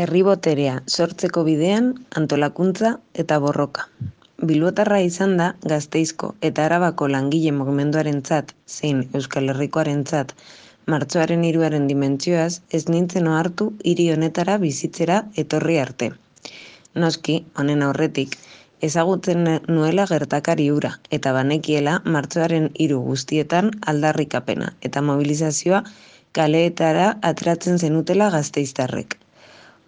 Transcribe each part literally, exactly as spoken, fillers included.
Herri boterea sortzeko bidean antolakuntza eta borroka. Bilbotarra izan da Gasteizko eta Arabako langile mugimenduarentzat zein Euskal Herrikoarentzat martxoaren hiruaren dimentsioaz ez nintzen ohartu hiri honetara bizitzera etorri arte. Noski, honen aurretik, ezagutzen nuela gertakari hura eta banekiela martxoaren hiru guztietan aldarrikapena eta mobilizazioa kaleetara ateratzen zenutela gasteiztarrek.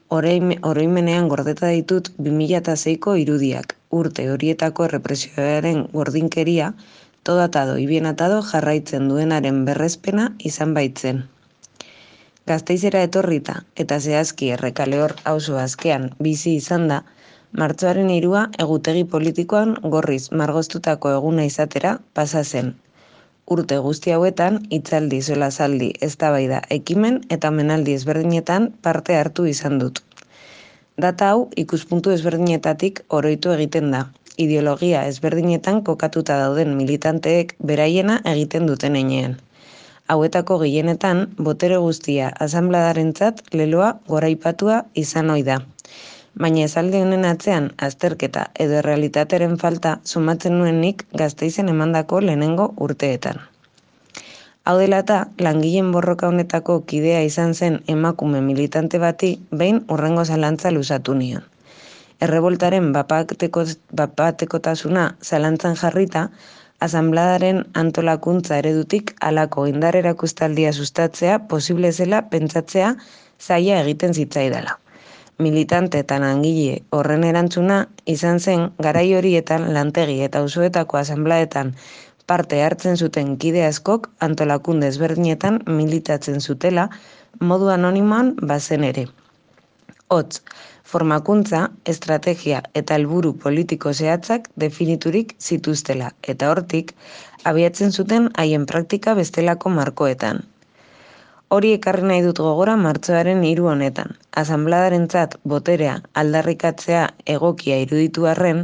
Oroimenean gordeta ditut bi mila seiko irudiak, urte horietako errepresioaren gordinkeria, todo atado y bien atado jarraitzen duenaren berrespena izan baitzen. Gasteizera etorrita eta zehazki Errekaleor auzo askean bizi izan da, martxoaren hirua egutegi politikoan gorriz margoztutako eguna izatera pasa zen. Urte guzti hauetan, hitzaldi, solazaldi, eztabaida, ekimen eta omenaldi ezberdinetan parte hartu izan dut. Data hau ikuspuntu ezberdinetatik oroitu egiten da, ideologia ezberdinetan kokatuta dauden militanteek beraiena egiten duten heinean. Hauetako gehienetan, botere guztia asanbladarentzat leloa goraipatua izan ohi da. Baina esaldi honen atzean azterketa edo errealitatearen falta sumatzen nuen nik Gasteizen emandako lehenengo urteetan. Hau dela eta, langileen borroka honetako kidea izan zen emakume militante bati behin hurrengo zalantza luzatu nion. Erreboltaren bapatekotasuna zalantzan jarrita, asanbladaren antolakuntza eredutik halako indar erakustaldia sustatzea posible zela pentsatzea zaila egiten zitzaidala. Militante eta langile horren erantzuna izan zen garai horietan lantegi eta auzoetako asanbladetan parte hartzen zuten kide askok antolakunde ezberdinetan militatzen zutela modu anonimoan bazen ere. Hots, formakuntza, estrategia eta helburu politiko zehatzak definiturik zituztela eta hortik abiatzen zuten haien praktika bestelako markoetan. Hori ekarri nahi dut gogora martxoaren hiru honetan. Asanbladarentzat boterea aldarrikatzea egokia iruditu arren,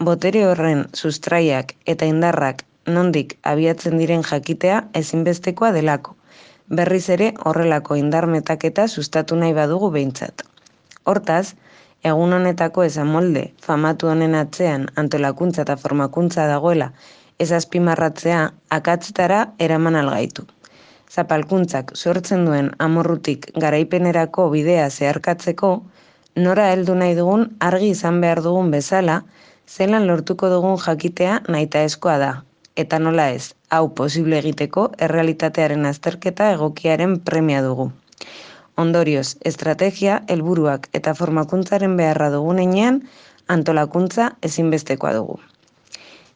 botere horren sustraiak eta indarrak nondik abiatzen diren jakitea ezinbestekoa delako. Berriz ere horrelako indar metaketa sustatu nahi badugu behintzat. Hortaz, egun honetako esamolde famatu honen atzean antolakuntza eta formakuntza dagoela ez azpimarratzea akatzetara eraman algaitu. Zapalkuntzak sortzen duen amorrutik garaipenerako bidea zeharkatzeko, nora heldu nahi dugun argi izan behar dugun bezala, zelan lortuko dugun jakitea nahitaezkoa da, eta nola ez, hau posible egiteko errealitatearen azterketa egokiaren premia dugu. Ondorioz, estrategia, helburuak eta formakuntzaren beharra dugun heinean, antolakuntza ezinbestekoa dugu.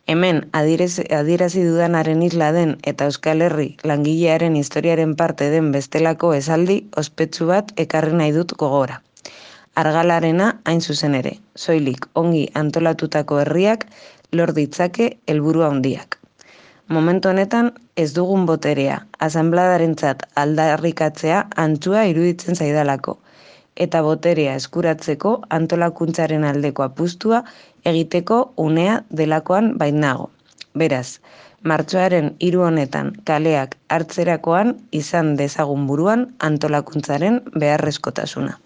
Hemen adierazi dudanaren isla den eta Euskal Herri langilearen historiaren parte den bestelako esaldi ospetsu bat ekarri nahi dut gogora. Argalarena hain zuzen ere, soilik ongi antolatutako herriak lor ditzake helburu handiak. Momentu honetan ez dugun boterea, asanbladarentzat aldarrikatzea antzua iruditzen zaidalako, eta boterea eskuratzeko antolakuntzaren aldeko apustua egiteko unea delakoan bainago. Beraz, martxoaren hiru honetan kaleak hartzerakoan izan dezagun buruan antolakuntzaren beharrezkotasuna.